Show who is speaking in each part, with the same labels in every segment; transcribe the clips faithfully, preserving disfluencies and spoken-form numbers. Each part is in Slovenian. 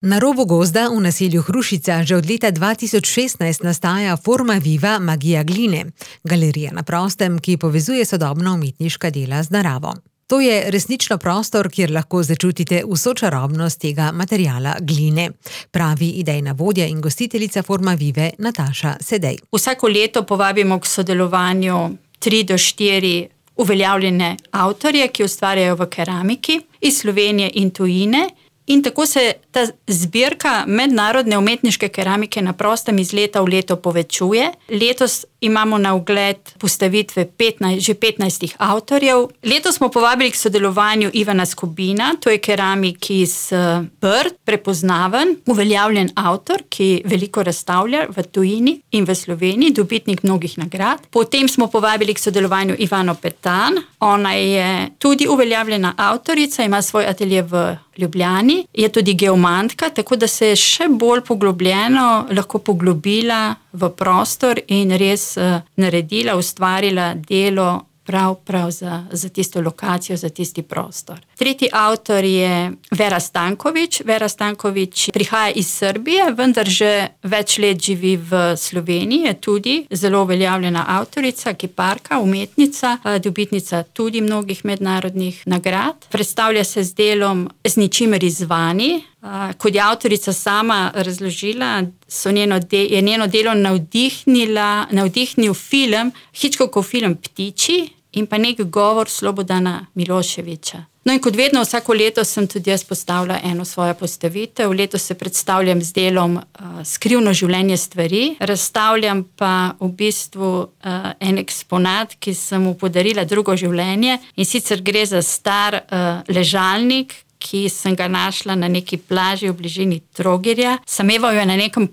Speaker 1: Na robu gozda v naselju Hrušica že od leta dva tisoč šestnajst nastaja Forma Viva magija gline, galerija na prostem, ki povezuje sodobna umetniška dela z naravo. To je resnično prostor, kjer lahko začutite vso čarobnost tega materiala gline, pravi idejna vodja in gostiteljica Forma Vive Nataša Sedej.
Speaker 2: Vsako leto povabimo k sodelovanju tri do štiri uveljavljene avtorje, ki ustvarjajo v keramiki iz Slovenije in tujine. In tako se ta zbirka mednarodne umetniške keramike na prostem iz leta v leto povečuje. Letos imamo na ogled postavitve petnajst, že petnajstih avtorjev. Letos smo povabili k sodelovanju Ivana Skobina, to je keramik iz Brd, prepoznaven, uveljavljen avtor, ki veliko razstavlja v tujini in v Sloveniji, dobitnik mnogih nagrad. Potem smo povabili k sodelovanju Ivano Petan, ona je tudi uveljavljena avtorica, ima svoj atelje v Ljubljani, je tudi geomantka, tako da se je še bolj poglobljeno lahko poglobila v prostor in res uh, naredila, ustvarila delo prav, prav za, za tisto lokacijo, za tisti prostor. Tretji avtor je Vera Stanković. Vera Stanković prihaja iz Srbije, vendar že več let živi v Sloveniji, je tudi zelo uveljavljena avtorica, kiparka, umetnica, dobitnica tudi mnogih mednarodnih nagrad. Predstavlja se z delom Z ničimer izzvani. Kot je avtorica sama razložila, so njeno de- je njeno delo navdihnila, navdihnil film, Hitchcockov film Ptiči in pa nek govor Slobodana Miloševića. No in kot vedno, vsako leto sem tudi jaz postavila eno svojo postavitev. Letos se predstavljam z delom uh, Skrivno življenje stvari. Razstavljam pa v bistvu uh, en eksponat, ki sem mu podarila drugo življenje, in sicer gre za star uh, ležalnik, ki sem ga našla na neki plaži v bližini Trogirja. Sameval jo na nekem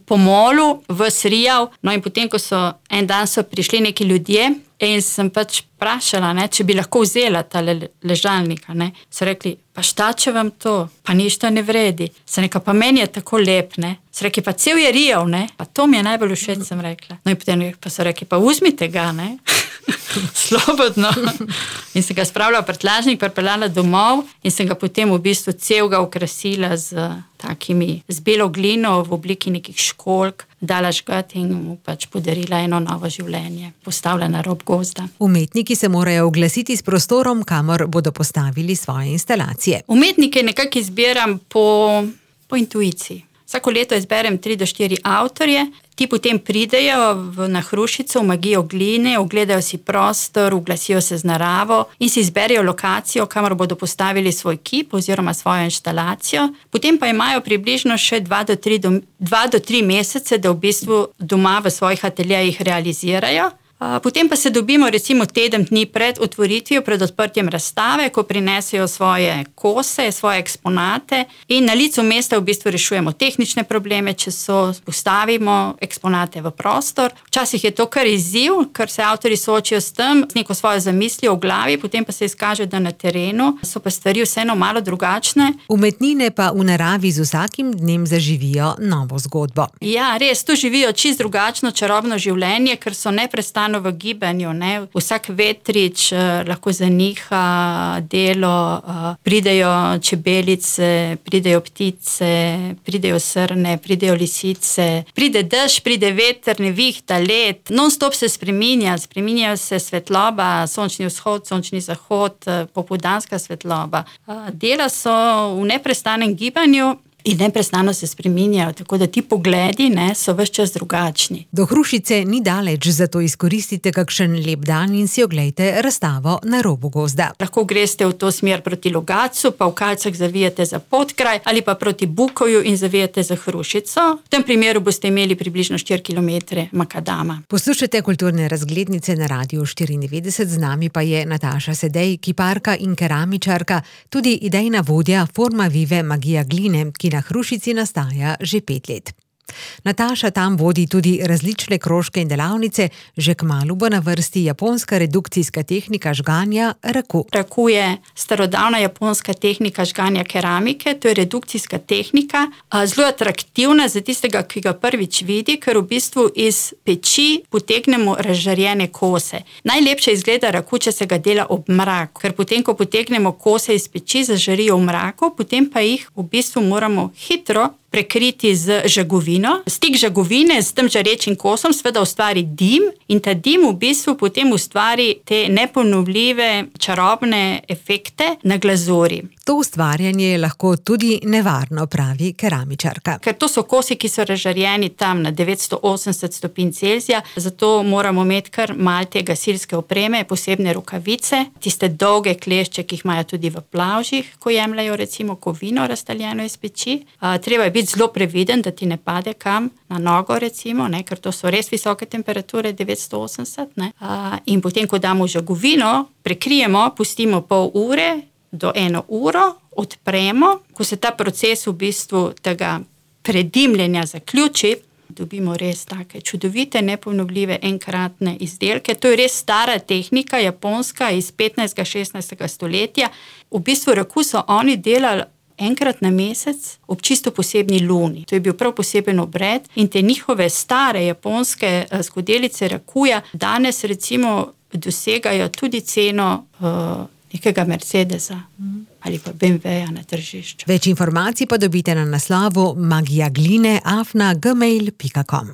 Speaker 2: pomolu v Srijav. No in potem, ko so en dan so prišli neki ljudje in sem pač vprašala, ne, če bi lahko vzela ta le, ležalnika. Ne. So rekli, pa šta, če vam to, pa ništa ne vredi. Sem rekla, pa meni je tako lep, ne. So rekli, pa cel je rijav, ne. Pa to mi je najbolj všeč, sem rekla. No in potem pa so rekli, pa vzmite ga, ne. Slobodno. In sem ga spravila v prtljažnik, pripeljala domov in sem ga potem v bistvu celega okrasila z takimi, z belo glino v obliki nekih školjk, dala žgat in mu pač podarila eno novo življenje. Postavila na rob gozda.
Speaker 1: Umetniki se morajo oglasiti s prostorom, kamor bodo postavili svoje instalacije.
Speaker 2: Umetnike nekako izbiram po, po intuiciji. Vsako leto izberem tri do štiri avtorje, ti potem pridejo v, na Hrušico, v magijo gline, ogledajo si prostor, oglasijo se z naravo in si izberejo lokacijo, kamor bodo postavili svoj kip oziroma svojo inštalacijo. Potem pa imajo približno še dva do tri, do, dva do tri mesece, da v bistvu doma v svojih ateljejih realizirajo. Potem pa se dobimo recimo teden dni pred otvoritvijo, pred odprtjem razstave, ko prinesejo svoje kose, svoje eksponate in na licu mesta v bistvu rešujemo tehnične probleme, če so, postavimo eksponate v prostor. Včasih je to kar izziv, ker se avtorji soočijo s tem, z neko svojo zamislijo v glavi, potem pa se izkaže, da na terenu so pa stvari vseeno malo drugačne.
Speaker 1: Umetnine pa v naravi z vsakim dnem zaživijo novo zgodbo.
Speaker 2: Ja, res, tu živijo čisto drugačno, čarobno življenje, ker so neprestano v gibanju, ne. Vsak vetrič uh, lahko zaniha delo, uh, pridejo čebelice, pridejo ptice, pridejo srne, pridejo lisice, pride dež, pride veter, nevihta, led, non-stop se spreminja, spreminjajo se svetloba, sončni vzhod, sončni zahod, uh, popoldanska svetloba. Uh, dela so v neprestanem gibanju in neprestano se spreminjajo, tako da ti pogledi, ne, so ves čas drugačni.
Speaker 1: Do Hrušice ni daleč, zato izkoristite kakšen lep dan in si oglejte razstavo na robu gozda.
Speaker 2: Lahko greste v to smer proti Logatcu, pa v Kalcah zavijete za Podkraj ali pa proti Bukovju in zavijete za Hrušico. V tem primeru boste imeli približno štiri kilometre makadama.
Speaker 1: Poslušajte kulturne razglednice na Radiu štiriindevetdeset, z nami pa je Nataša Sedej, kiparka in keramičarka, tudi idejna vodja Forma Vive magija gline, ki na Hrušici nastaja že pet let. Nataša tam vodi tudi različne krožke in delavnice, že kmalu bo na vrsti japonska redukcijska tehnika žganja raku.
Speaker 2: Raku je starodavna japonska tehnika žganja keramike, to je redukcijska tehnika, zelo atraktivna za tistega, ki ga prvič vidi, ker v bistvu iz peči potegnemo razžarjene kose. Najlepše izgleda raku, če se ga dela ob mraku, ker potem, ko potegnemo kose iz peči, zažarijo v mraku, potem pa jih v bistvu moramo hitro prekriti z žagovino. Stik žagovine s tem žarečim kosom seveda ustvari dim in ta dim v bistvu potem ustvari te neponovljive čarobne efekte na glazuri.
Speaker 1: To ustvarjanje je lahko tudi nevarno, pravi keramičarka.
Speaker 2: Ker to so kosi, ki so razžarjeni tam na devetsto osemdeset stopinj Celzija, zato moramo imeti kar malo te gasilske opreme, posebne rokavice, tiste dolge klešče, ki jih imajo tudi v plavžih, ko jemljajo recimo kovino raztaljeno iz peči. A, treba je biti zelo previden, da ti ne pade kam na nogo recimo, ne, ker to so res visoke temperature, devetsto osemdeset. Ne. A, in potem, ko damo žagovino, prekrijemo, pustimo pol ure do eno uro, odpremo. Ko se ta proces v bistvu tega predimljenja zaključi, dobimo res take čudovite, neponovljive enkratne izdelke. To je res stara tehnika, japonska, iz petnajstega, šestnajstega stoletja. V bistvu raku so oni delali enkrat na mesec ob čisto posebni luni. To je bil prav poseben obred in te njihove stare japonske skodelice rakuja danes recimo dosegajo tudi ceno uh, nekega Mercedesa ali pa B M W-ja na tržišču.
Speaker 1: Več informacij pa dobite na naslovu magija gline afna gmail pika com.